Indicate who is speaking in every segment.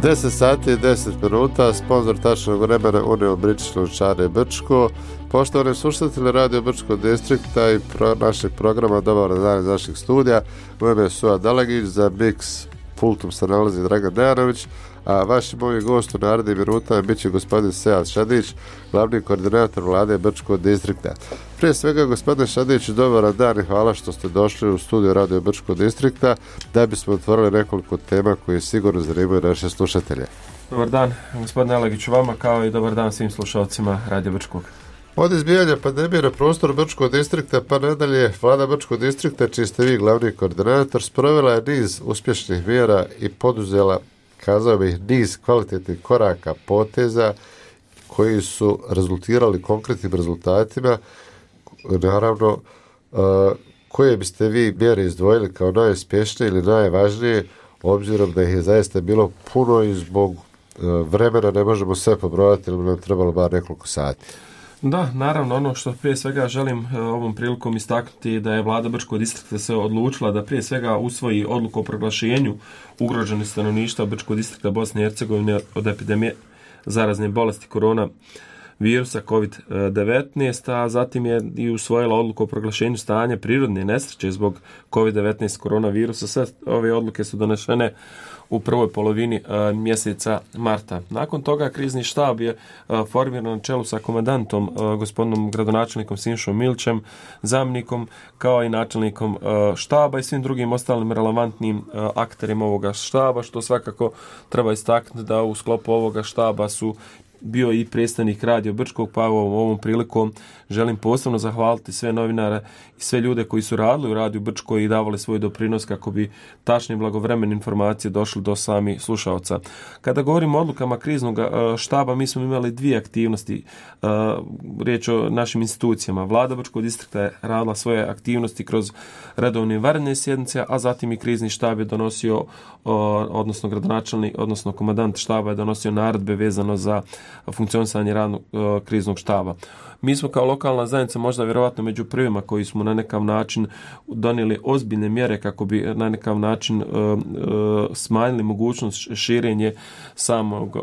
Speaker 1: 10 sati i 10 minuta, sponzor tačnog vremena Unio British Lončare Brčko. Poštovani slušatelji Radio Brčkog distrikta i našeg programa Dobar dan iz našeg studija, u ime Suad Dalagić, za Mix pultom se nalazi Dragan Dejanović, a vaši moji gost u narednim minutama bit će gospodin Sead Šadić, glavni koordinator vlade Brčkog distrikta. Prije svega, gospodine Šadić, dobar dan i hvala što ste došli u studiju Radio Brčkog distrikta da bismo otvorili nekoliko tema koje sigurno zanimaju naše slušatelje.
Speaker 2: Dobar dan, gospodine Dalagiću, vama, kao i dobar dan svim slušalcima Radio Brčkog.
Speaker 1: Od izbijanja pandemije na prostoru Brčkog distrikta pa nadalje, vlada Brčkog distrikta, čiji ste vi glavni koordinator, sprovela je niz uspješnih mjera i poduzela, kazao bih, niz kvalitetnih koraka, poteza koji su rezultirali konkretnim rezultatima. Naravno, koje biste vi mjere izdvojili kao najuspješnije ili najvažnije, obzirom da ih je zaista bilo puno i zbog vremena ne možemo sve pobrojati, ili bi nam trebalo bar nekoliko sati.
Speaker 2: Da, naravno, ono što prije svega želim ovom prilikom istaknuti da je vlada Brčkog distrikta se odlučila da prije svega usvoji odluku o proglašenju ugroženih stanovništva Brčkog distrikta Bosne i Hercegovine od epidemije zarazne bolesti korona virusa COVID-19, a zatim je i usvojila odluku o proglašenju stanja prirodne nesreće zbog COVID-19 koronavirusa. Sve ove odluke su donešene u prvoj polovini mjeseca marta. Nakon toga krizni štab je formiran na čelu sa komandantom, gospodinom gradonačelnikom Sinšom Milićem, zamjenikom, kao i načelnikom štaba i svim drugim ostalim relevantnim akterima ovoga štaba, što svakako treba istaknuti da u sklopu ovoga štaba su bio i predstavnik Radio Brčkog, pa ovom prilikom želim posebno zahvaliti sve novinare i sve ljude koji su radili u Radio Brčkoj i davali svoj doprinos kako bi tačne i blagovremene informacije došli do samih slušalca. Kada govorimo o odlukama kriznog štaba, mi smo imali dvije aktivnosti. Riječ o našim institucijama. Vlada Brčkog distrikta je radila svoje aktivnosti kroz redovne vanredne sjednice, a zatim i krizni štab je donosio, odnosno gradonačelnik, odnosno komandant štaba je donosio naredbe vezano za funkcionisanje radnog kriznog štaba. Mi smo kao lokalna zajednica možda vjerovatno među prvima koji smo na nekav način donijeli ozbiljne mjere kako bi na nekav način smanjili mogućnost širenje samog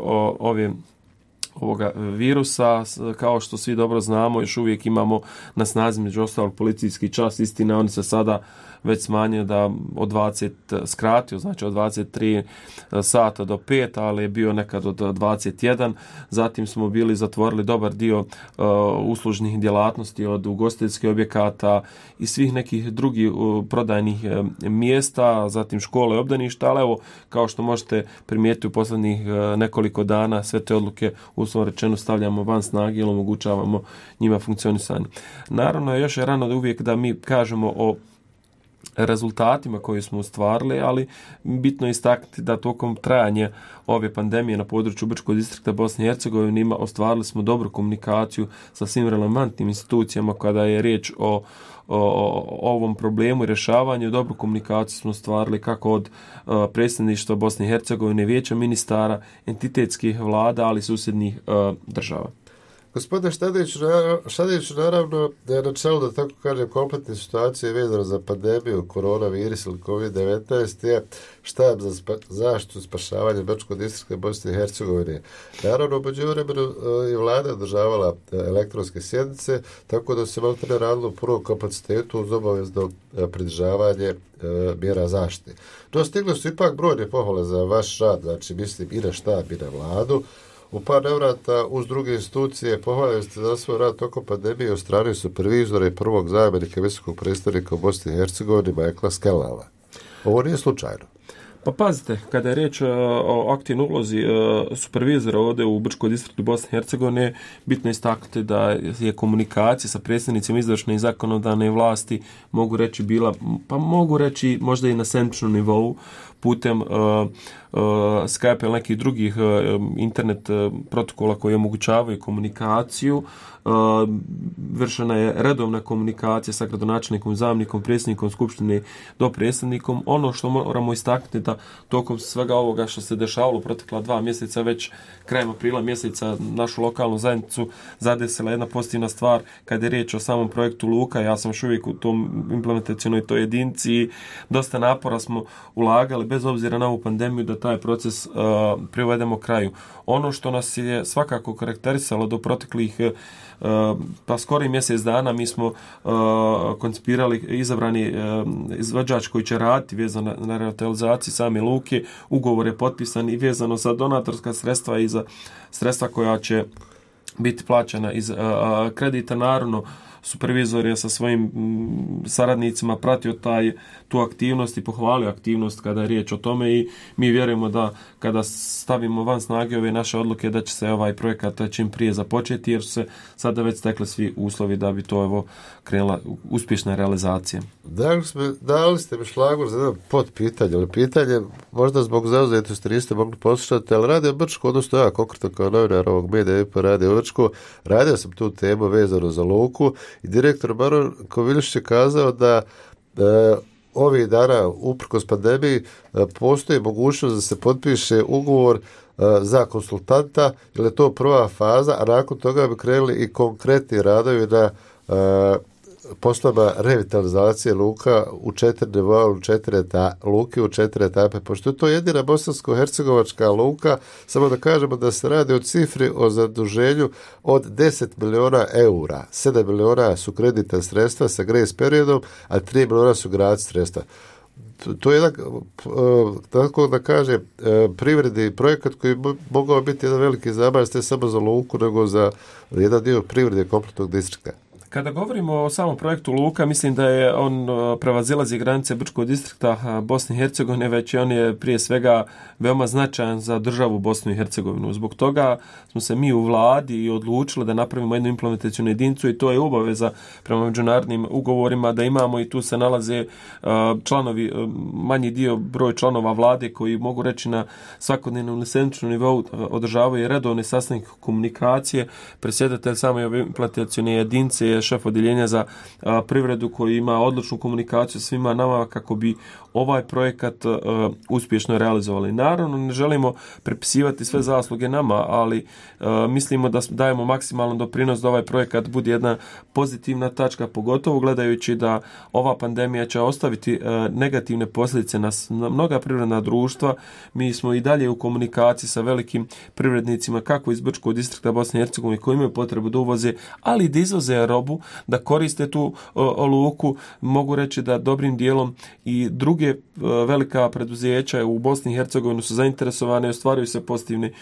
Speaker 2: ovoga virusa. Kao što svi dobro znamo, još uvijek imamo na snazi među ostalog policijski čas. Istina, oni se sada već smanjio da od 20 skratio, znači od 23 sata do 5, ali je bio nekad od 21. Zatim smo bili zatvorili dobar dio uslužnih djelatnosti od ugostiteljskih objekata i svih nekih drugih prodajnih mjesta, zatim škole i obdaništa, ali evo, kao što možete primijetiti u posljednjih nekoliko dana, sve te odluke uslovno rečeno stavljamo van snage ili omogućavamo njima funkcionisanje. Naravno, još je rano da uvijek da mi kažemo o rezultatima koje smo ostvarili, ali bitno je istaknuti da tokom trajanja ove pandemije na području Brčkog distrikta Bosne i Hercegovine ostvarili smo dobru komunikaciju sa svim relevantnim institucijama kada je riječ o ovom problemu i rješavanju. Dobru komunikaciju smo ostvarili kako od predsjedništva Bosne i Hercegovine, vijeća ministara, entitetskih vlada, ali i susjednih država.
Speaker 1: Gospodine Šadić, naravno da je na čelu, da tako kažem, kompletne situacije vezano za pandemiju koronavirus ili COVID-19 je štab za zaštitu i spašavanje Brčkog distrikta Bosne i Hercegovine. Naravno, među vremenu je vlada održavala elektronske sjednice, tako da se maltene radilo u prvom kapacitetu uz obavezno pridržavanje mjera zaštite. No, stigle su ipak brojne pohvale za vaš rad, znači mislim i na štab i na vladu. U par navrata uz druge institucije pohvaljeni ste za svoj rad tokom pandemije od strane supervizora i prvog zamjenika visokog predstavnika u Bosni i Hercegovini Michaela Skellala. Ovo nije slučajno.
Speaker 2: Pa pazite, kada je riječ o aktivnoj ulozi supervizora ovdje u Brčkog distriktu Bosne i Hercegovine, bitno je istaknuti da je komunikacija sa predstavnicima izvršne i zakonodavne vlasti mogu reći možda i na sedmičnom nivou putem Skype ili nekih drugih internet protokola koji omogućavaju komunikaciju. Vršena je redovna komunikacija sa gradonačelnikom, zamjenikom, predsjednikom Skupštine do predsjednikom. Ono što moramo istaknuti da tokom svega ovoga što se dešavalo protekla 2 mjeseca, već krajem aprila mjeseca našu lokalnu zajednicu zadesila jedna pozitivna stvar kada je riječ o samom projektu Luka. Ja sam još uvijek u tom implementacionoj toj jedinici i dosta napora smo ulagali bez obzira na ovu pandemiju, da taj proces privedemo kraju. Ono što nas je svakako karakterisalo do proteklih pa skoro mjesec dana, mi smo koncipirali izabrani izvođač koji će raditi vezano na revitalizaciji same luke. Ugovor je potpisan i vezano za donatorska sredstva i za sredstva koja će biti plaćana iz kredita. Naravno, supervizor je sa svojim saradnicima pratio tu aktivnost i pohvalio aktivnost kada je riječ o tome i mi vjerujemo da kada stavimo van snage ove naše odluke da će se ovaj projekat čim prije započeti jer su se sada već stekli svi uslovi da bi to krenula uspješna realizacija.
Speaker 1: Dali ste mi šlagor za jedno podpitanje, ali pitanje možda zbog zauzetosti niste mogli poslušati, ali Radio Brčko, odnosno ja konkretno kao novinar ovog medija po Radio Brčko, radio sam tu temu vezano za luku i direktor Baron Koviljišić je kazao da ovih dana uprkos pandemiji postoji mogućnost da se potpiše ugovor za konsultanta, jer je to prva faza, a nakon toga bi krenuli i konkretni radovi na poslova revitalizacije luka u 4 nivoa, luke u 4 etape. Pošto je to jedina bosansko-hercegovačka luka, samo da kažemo da se radi o cifri o zaduženju od 10 miliona eura. 7 miliona su kreditna sredstva sa grace periodom, a 3 miliona su grad sredstva. To je jedan, tako da kaže, privredni projekat koji mogao biti jedan veliki zabav, ne samo za luku, nego za jedan dio privrede kompletnog distrikta.
Speaker 2: Kada govorimo o samom projektu luka, mislim da je on prevazilazi granice Brčkog distrikta Bosne i Hercegovine, već on je prije svega veoma značajan za državu Bosnu i Hercegovinu. Zbog toga smo se mi u vladi i odlučili da napravimo jednu implementacijnu jedinicu i to je obaveza prema međunarodnim ugovorima da imamo i tu se nalaze članovi, manji dio broj članova vlade koji mogu reći na svakodnevnom ili sedmičnom nivou održavaju redovne sastanke komunikacije. Predsjedatelj same ove implementacijne jedinice je šef odjeljenja za privredu koji ima odličnu komunikaciju sa svima nama kako bi ovaj projekat uspješno realizovali. Naravno, ne želimo prepisivati sve zasluge nama, ali mislimo da dajemo maksimalan doprinos da ovaj projekat bude jedna pozitivna tačka, pogotovo gledajući da ova pandemija će ostaviti negativne posljedice na mnoga privredna društva. Mi smo i dalje u komunikaciji sa velikim privrednicima kako iz Brčkog distrikta Bosne i Hercegovine koji imaju potrebu da uvoze, ali da izvoze robu, da koriste tu luku. Mogu reći da dobrim dijelom i druge velika preduzeća u Bosni i Hercegovini su zainteresovane i ostvaruju se pozitivni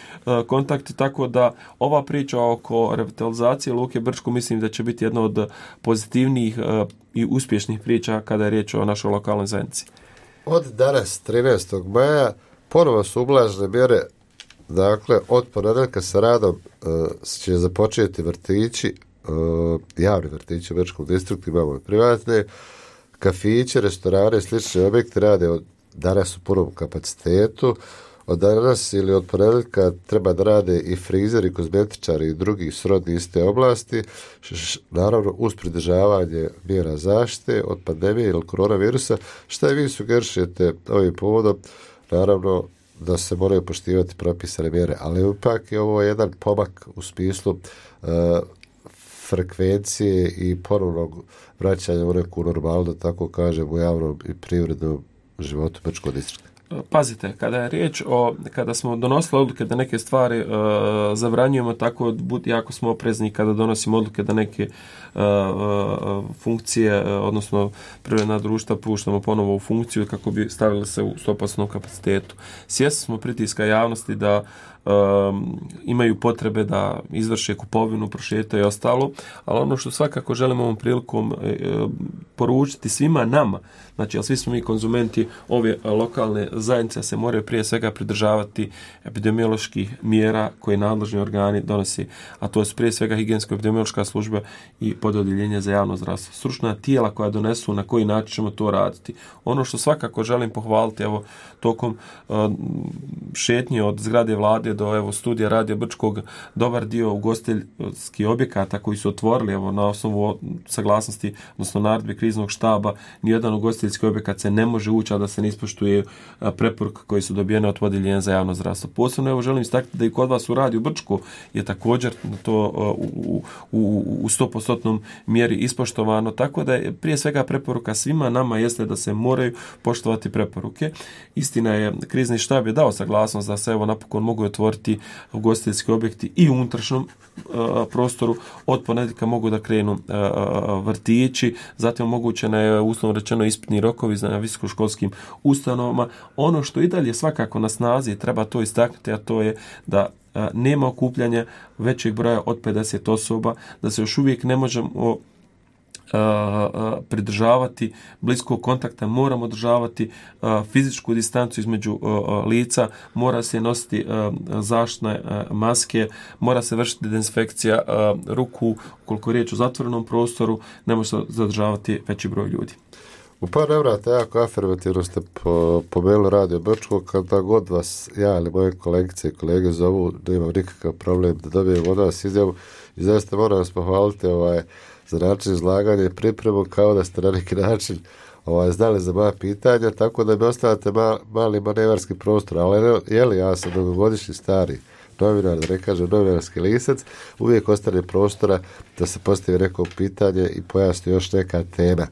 Speaker 2: kontakti, tako da ova priča oko revitalizacije luke Brčko mislim da će biti jedna od pozitivnijih i uspješnih priča kada je riječ o našoj lokalnoj zajednici.
Speaker 1: Od danas, 13. maja, ponovo su ublažene mjere. Dakle, od ponedjeljka sa radom će započeti vrtići, javni vrtići u Brčkom distriktu, imamo i privatne, kafiće, restorane i slični objekti rade od danas u punom kapacitetu. Od danas ili od ponedjeljka treba da rade i frizeri, kozmetičari i drugi srodni iste oblasti, naravno uz pridržavanje mjera zaštite od pandemije ili koronavirusa. Šta vi sugerišete ovim povodom? Naravno da se moraju poštivati propisane mjere, ali ipak je ovo jedan pomak u smislu frekvencije i ponovnog vraćanja u neku normalnu, da tako kažem, u javnom i privrednom životu Brčkog distrikta.
Speaker 2: Pazite, kada je riječ kada smo donosili odluke da neke stvari zabranjujemo, tako jako smo oprezni kada donosimo odluke da neke funkcije, odnosno privredna društva puštamo ponovo u funkciju kako bi stavili se u 100% kapacitetu. Svjesni smo pritiska javnosti da imaju potrebe da izvrše kupovinu, prošetaju i ostalo, ali ono što svakako želimo ovom prilikom poručiti svima nama, znači, ali svi smo mi konzumenti ove lokalne zajednice, se moraju prije svega pridržavati epidemioloških mjera koje nadležni organi donose, a to su prije svega higijensko-epidemiološka služba i pododjeljenje za javno zdravstvo. Stručna tijela koja donesu na koji način ćemo to raditi. Ono što svakako želim pohvaliti, evo, tokom šetnje od zgrade vlade do studija Radio Brčkog, dobar dio ugostiteljskih objekata koji su otvorili na osnovu saglasnosti, odnosno naredbe kriznog kriznog štaba, nijedan ugostiteljski objekat se ne može ući, a da se ne ispoštuje preporuke koje su dobijene od vodiljenja za javno zdravstvo. Posebno evo želim istaknuti da i kod vas u Radiju Brčko je također to u 100% mjeri ispoštovano, tako da je prije svega preporuka svima nama jeste da se moraju poštovati preporuke. Istina je, krizni štab je dao saglasnost da se evo napokon mogu otvoriti ugostiteljski objekti i u unutrašnjem prostoru. Od ponedjeljka mogu da krenu vrtići, zatim omogućena je uslovno rečeno ispitni rokovi na visokoškolskim ustanovama. Ono što i dalje svakako na snazi, treba to istaknuti, a to je da nema okupljanja većeg broja od 50 osoba, da se još uvijek ne možemo pridržavati bliskog kontakta, moramo održavati fizičku distancu između lica, mora se nositi zaštitne maske, mora se vršiti dezinfekcija ruku, ukoliko je riječ o zatvorenom prostoru, ne može se zadržavati veći broj ljudi.
Speaker 1: U par navrata jako afirmativno ste pomenuli Radio Brčko, kada god vas ja ili moje kolegice i kolege zovu, da imam nikakav problem da dobijem od vas izjavu i zaista moram vas pohvaliti za način izlaganja i pripremu, kao da ste na neki način znali za moja pitanja, tako da mi ostavate mali manevarski prostor, ali ja sam dugogodišnji stari novinar, da ne kažem novinarski lisac, uvijek ostane prostora da se postavi neko pitanje i pojasni još neka tema.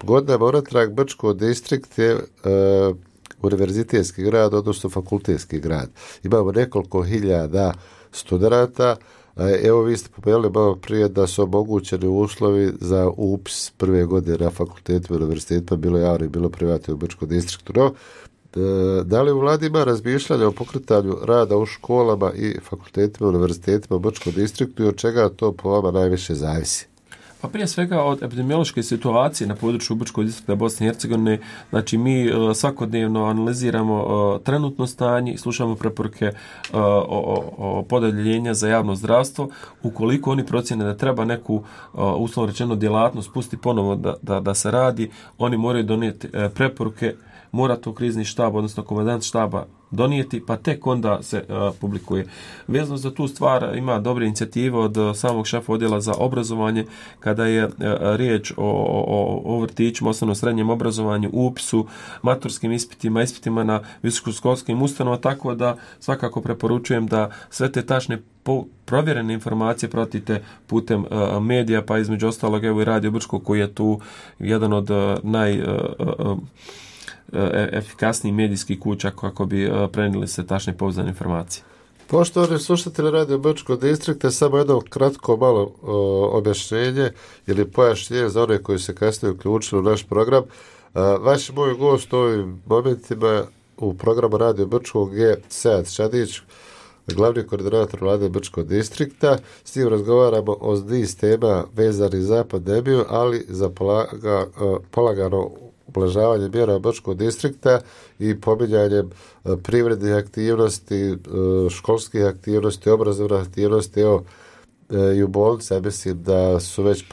Speaker 1: Godinama unatrag Brčko distrikt je univerzitetski grad, odnosno fakultetski grad. Imamo nekoliko hiljada studenata. Evo vi ste pomenuli malo prije da su omogućeni uslovi za upis prve godine na fakultetima i univerzitetima, bilo javno i bilo privatno u Brčkom distriktu. No, da li u vladi ima razmišljanja o pokretanju rada u školama i fakultetima i univerzitetima u Brčkom distriktu i od čega to po vama najviše zavisi?
Speaker 2: Pa prije svega od epidemiološke situacije na području Brčkog distrikta Bosne i Hercegovine, znači mi svakodnevno analiziramo trenutno stanje i slušamo preporuke o podeljenja za javno zdravstvo. Ukoliko oni procjene da treba neku uslovno rečeno djelatnost pustiti ponovo da se radi, oni moraju donijeti preporuke, mora to krizni štab, odnosno komandant štaba donijeti, pa tek onda se publikuje. Vezano za tu stvar ima dobre inicijative od samog šefa odjela za obrazovanje, kada je riječ o vrtićima, osnovno srednjem obrazovanju, upisu, maturskim ispitima na visokoškolskim ustanovama, tako da svakako preporučujem da sve te tačne provjerene informacije pratite putem medija, pa između ostalog evo i Radio Brčko koji je tu jedan od efikasniji medijski kuća kako bi prenijeli se tačne pouzdane informacije.
Speaker 1: Poštovani slušatelji Radio Brčkog distrikta, samo jedno kratko malo objašnjenje ili pojašnjenje za one koji se kasnije uključili u naš program. Vaš moj gost u ovim momentima u programu Radio Brčkog je Sead Šadić, glavni koordinator vlade Brčkog distrikta. S njim razgovaramo o niz tema vezanih za pandemiju, ali za polagano ublažavanje mjera Brčkog distrikta i pominjanjem privrednih aktivnosti, školskih aktivnosti, obrazovnih aktivnosti. Evo, i u bolnici, ja mislim da su već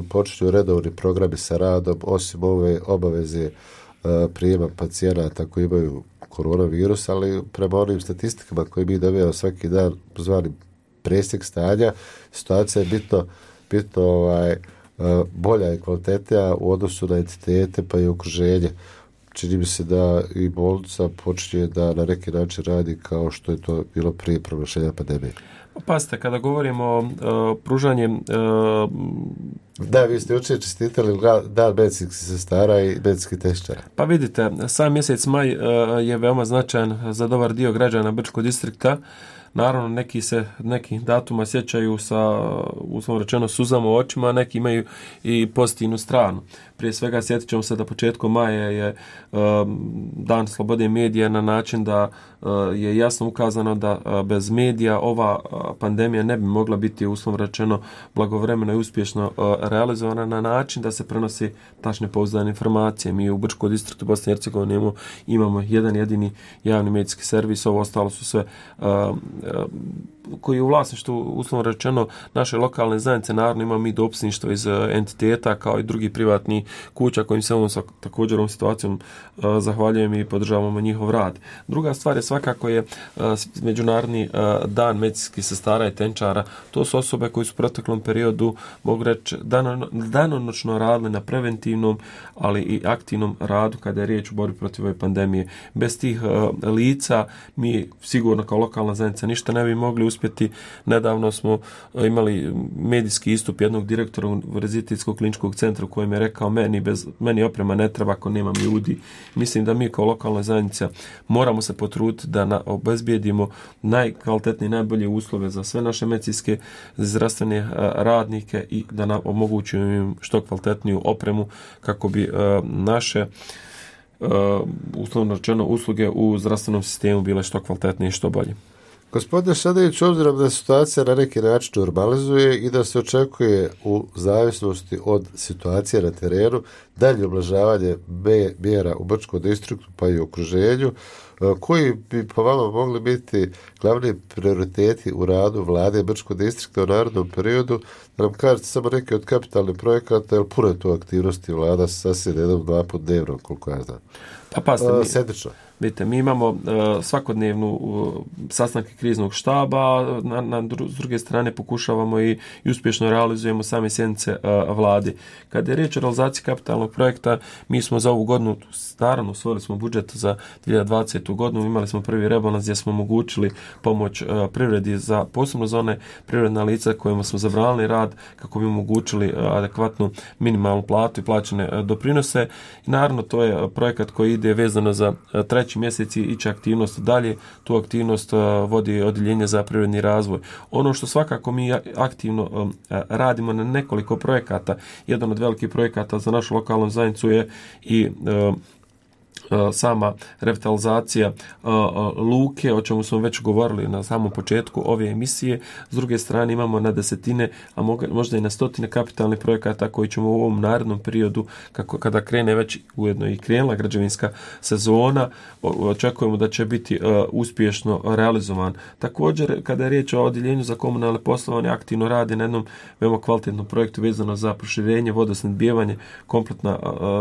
Speaker 1: počinju redovni programi sa radom, osim ove obaveze prijema pacijenata koji imaju koronavirus, ali prema onim statistikama koje mi dobijamo svaki dan, zvani presjek stanja, situacija je bitno bolja i kvalitetnija u odnosu na entitete pa i okruženje. Čini mi se da i bolnica počinje da na neki način radi kao što je to bilo prije proglašenja pandemije.
Speaker 2: Pazite, kada govorimo o pružanjem...
Speaker 1: Da, vi ste jučer čestitali dan medicinskih sestara i medicinskih tehničara.
Speaker 2: Pa vidite, sam mjesec maj je veoma značajan za dobar dio građana Brčkog distrikta. Naravno, neki datuma sjećaju sa, uslovno rečeno, suzama u očima, a neki imaju i pozitivnu stranu. Prije svega sjetit ćemo se da početkom maja je dan slobode medija na način da je jasno ukazano da bez medija ova pandemija ne bi mogla biti, uslovno rečeno, blagovremeno i uspješno realizovana na način da se prenosi tačne pouzdane informacije. Mi u Brčkom distriktu Bosne i Hercegovine imamo jedan jedini javni medijski servis, ovo ostalo su sve koji je u vlasništvu, uslovno rečeno, naše lokalne zajednice, naravno imamo mi dopisništvo iz entiteta kao i drugi privatni kuća kojim se također ovom situacijom zahvaljujem i podržavamo njihov rad. Druga stvar je svakako je Međunarodni dan medicinskih sestara i tenčara. To su osobe koji su u proteklom periodu, mogu reći, danonoćno radili na preventivnom, ali i aktivnom radu kada je riječ o borbi protiv ove pandemije. Bez tih lica mi sigurno kao lokalna zajednica ništa ne bi mogli uspjeti. Nedavno smo imali medijski istup jednog direktora Univerzitetskog kliničkog centra u kojem je rekao meni oprema ne treba ako nemam ljudi. Mislim da mi kao lokalna zajednica moramo se potruditi da obezbijedimo najkvalitetnije, najbolje uslove za sve naše medicinske zdravstvene radnike i da omogućimo im što kvalitetniju opremu kako bi naše uslovno rečeno usluge u zdravstvenom sistemu bile što kvalitetnije i što bolje.
Speaker 1: Gospodine Šadević, obzirom da situacija na neki način normalizuje i da se očekuje u zavisnosti od situacije na terenu dalje ublažavanje mjera u Brčkom distriktu pa i u okruženju, koji bi po vama mogli biti glavni prioriteti u radu vlade Brčkog distrikta u narednom periodu, da nam kažete samo neke od kapitalnih projekata, jer puno je tu aktivnosti vlada sasvim 1-2 put dnevno, koliko ja znam. Sedmično.
Speaker 2: Vidite, mi imamo svakodnevnu sastanke kriznog štaba, s druge strane pokušavamo i uspješno realizujemo same sjednice vlade. Kada je riječ o realizaciji kapitalnog projekta, mi smo za ovu godinu, naravno, usvojili smo budžet za 2020. godinu, imali smo prvi rebalans gdje smo omogućili pomoć privredi posebno za one privredna lica kojima smo zabranili rad kako bi omogućili adekvatnu minimalnu platu i plaćene doprinose. I naravno, to je projekat koji ide vezano za treći mjesec i će aktivnost dalje. Tu aktivnost vodi odjeljenje za privredni razvoj. Ono što svakako mi aktivno radimo na nekoliko projekata, jedan od velikih projekata za našu lokalnu zajednicu je i sama revitalizacija luke, o čemu smo već govorili na samom početku ove emisije. S druge strane imamo na desetine, a možda i na stotine kapitalnih projekata koji ćemo u ovom narednom periodu, kada krene već ujedno i krenula građevinska sezona, očekujemo da će biti uspješno realizovan. Također, kada je riječ o odjeljenju za komunalne poslovanje, aktivno radi na jednom veoma kvalitetnom projektu vezano za proširenje vodosnabdijevanje kompletna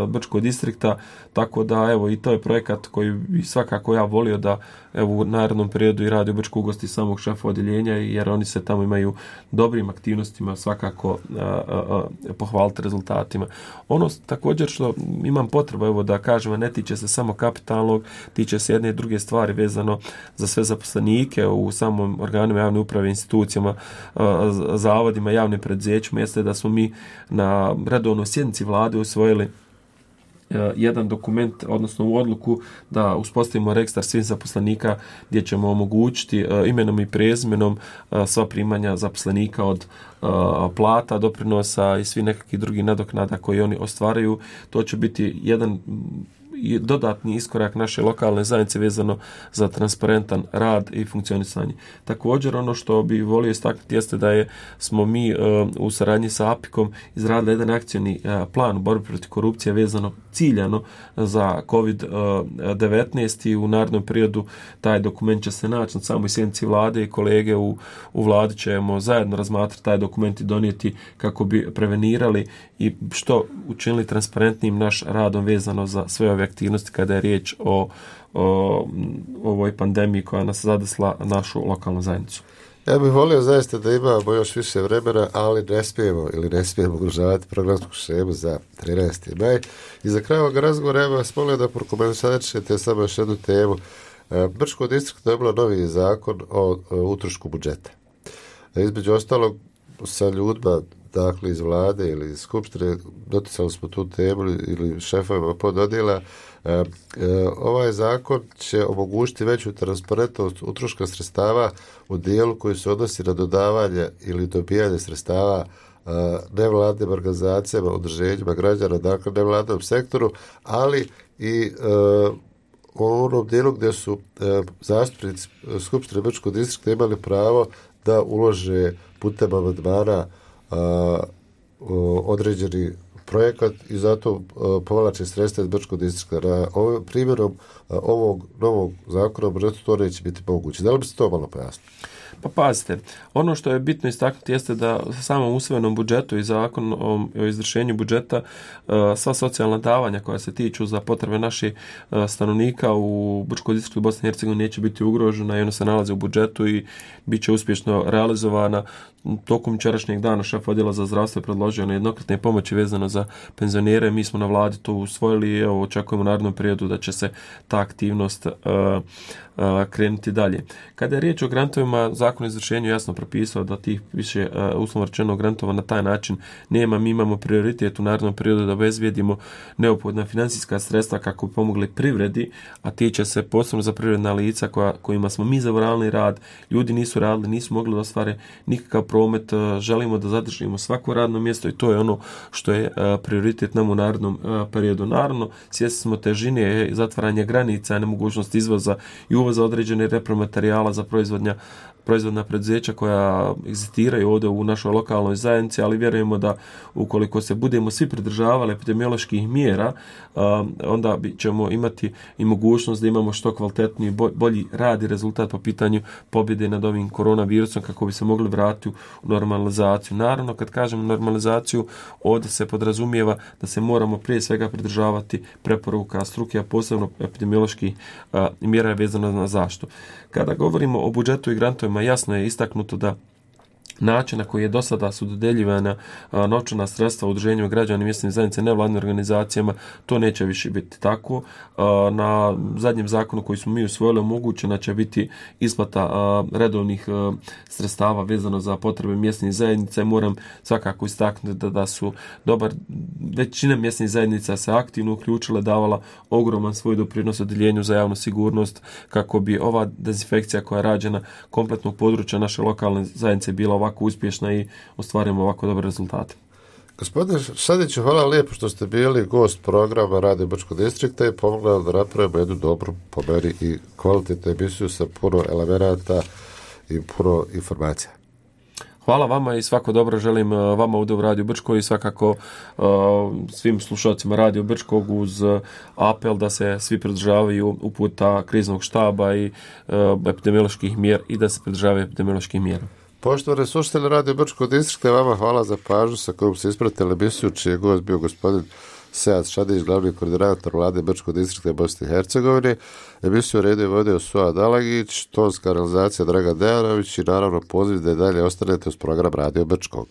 Speaker 2: Brčkog distrikta, tako da evo i to je projekat koji bi svakako ja volio da u narednom periodu i Radio Brčko ugosti samog šefa odjeljenja, jer oni se tamo imaju dobrim aktivnostima svakako pohvaliti rezultatima. Ono također što imam potrebu da kažem, ne tiče se samo kapitalnog, tiče se jedne i druge stvari vezano za sve zaposlenike u samom organima javne uprave, institucijama, zavodima, javnim preduzećima, jeste da smo mi na redovnoj sjednici vlade usvojili jedan dokument, odnosno u odluku da uspostavimo registar svih zaposlenika gdje ćemo omogućiti imenom i prezimenom sva primanja zaposlenika od plata, doprinosa i svi nekakvih drugih nadoknada koji oni ostvaraju. To će biti jedan dodatni iskorak naše lokalne zajednice vezano za transparentan rad i funkcionisanje. Također, ono što bi volio istaknuti jeste da smo mi u saradnji sa APIK-om izradili jedan akcioni plan u borbi protiv korupcije vezano ciljano za COVID-19 i u narednom periodu taj dokument će se naći na samoj sjednici vlade i kolege u vladi ćemo zajedno razmatrati taj dokument i donijeti kako bi prevenirali i što učinili transparentnim naš radom vezano za sve ove aktivnosti kada je riječ o ovoj pandemiji koja nas zadesla našu lokalnu zajednicu.
Speaker 1: Ja bih volio zaista da imamo još više vremena, ali ne smijemo ugrožavati programsku šemu za 13. maj. I za kraj ovog razgovora ja vas molio da prokomentarišete samo još jednu temu. Brčko distrikt dobilo novi zakon o utrošku budžeta. Između ostalog sa ljudima dakle iz vlade ili iz skupštine doticali smo tu temu ili šefovima pododjela. Ovaj zakon će omogućiti veću transparentnost utroška sredstava u dijelu koji se odnosi na dodavanje ili dobijanje sredstava nevladnim organizacijama, udruženjima građana, dakle nevladnom sektoru, ali i u onom dijelu gdje su zastupnici Skupštine Brčkog distrikta imali pravo da ulože putem amandmana određeni projekat i zato povlače sredstva iz Brčkog distrikta. Primjerom ovog novog zakona to neće biti moguće. Da li bi se to malo pojasnilo?
Speaker 2: Pa pazite, ono što je bitno istaknuti jeste da samom usvojenom budžetu i zakon o izvršenju budžeta sva socijalna davanja koja se tiču za potrebe naših stanovnika u Brčkoj distriktu Bosne i Hercegovine neće biti ugrožena i ona se nalazi u budžetu i bit će uspješno realizovana. Tokom jučerašnjeg dana šef odjela za zdravstvo je predložio na jednokratne pomoći vezano za penzionere. Mi smo na vladi to usvojili i očekujemo u narednom periodu da će se ta aktivnost krenuti dalje. Kada je riječ o grantovima, zakon o izvršenju jasno propisao da tih više uslovno rečeno grantova na taj način nema. Mi imamo prioritet u narednom periodu da obezbijedimo neophodna financijska sredstva kako bi pomogli privredi, a tiče se posebno za privredna lica kojima smo mi zavarali rad. Ljudi nisu radili, nisu mogli da ostvare nikakav promet. Želimo da zadržimo svako radno mjesto i to je ono što je prioritet nam u narednom periodu. Naravno, svjesni smo težine zatvaranja granica, nemogućnost izvoza i uvoza određene repromaterijala za proizvodna preduzeća koja egzistiraju ovdje u našoj lokalnoj zajednici, ali vjerujemo da ukoliko se budemo svi pridržavali epidemioloških mjera, onda ćemo imati i mogućnost da imamo što kvalitetniji, bolji rad i rezultat po pitanju pobjede nad ovim koronavirusom kako bi se mogli vratiti u normalizaciju. Naravno, kad kažemo normalizaciju, ovdje se podrazumijeva da se moramo prije svega pridržavati preporuka struke, a posebno epidemioloških mjera vezano na zaštitu. Kada govorimo o budžetu i grantovima, jasno je istaknuto da način na koji je do sada su dodeljivana novčana sredstva udruženjima građana i mjesne zajednice nevladnim organizacijama, to neće više biti tako. Na zadnjem zakonu koji smo mi usvojili omogućena će biti isplata redovnih sredstava vezano za potrebe mjesnih zajednica. Moram svakako istaknuti da su većina mjesnih zajednica se aktivno uključila, davala ogroman svoj doprinos odjeljenju za javnu sigurnost kako bi ova dezinfekcija koja je rađena kompletnog područja naše lokalne zajednice bila ovako uspješna i ostvarimo ovako dobre rezultate.
Speaker 1: Gospodine Šadiću, hvala lijepo što ste bili gost programa Radio Brčkog distrikta i pomogli da napravimo jednu dobru, po meni i kvalitetnu emisiju sa puno elemenata i puno informacija.
Speaker 2: Hvala vama i svako dobro želim vama ovdje u Radio Brčkog i svakako svim slušalcima Radio Brčkog uz apel da se svi pridržavaju uputa kriznog štaba i epidemioloških mjera i da se pridržavaju epidemioloških mjera.
Speaker 1: Poštovani slušatelji Radio Brčkog distrikta, vama hvala za pažnju sa kojom se ispratili emisiju, čiji je gost bio gospodin Sead Šadić, glavni koordinator vlade Brčkog distrikta Bosne i Hercegovine. Emisiju redio i vodio Suad Alagić, tonska realizacija Dragan Dejanović i naravno poziv da i dalje ostanete uz program Radio Brčkog.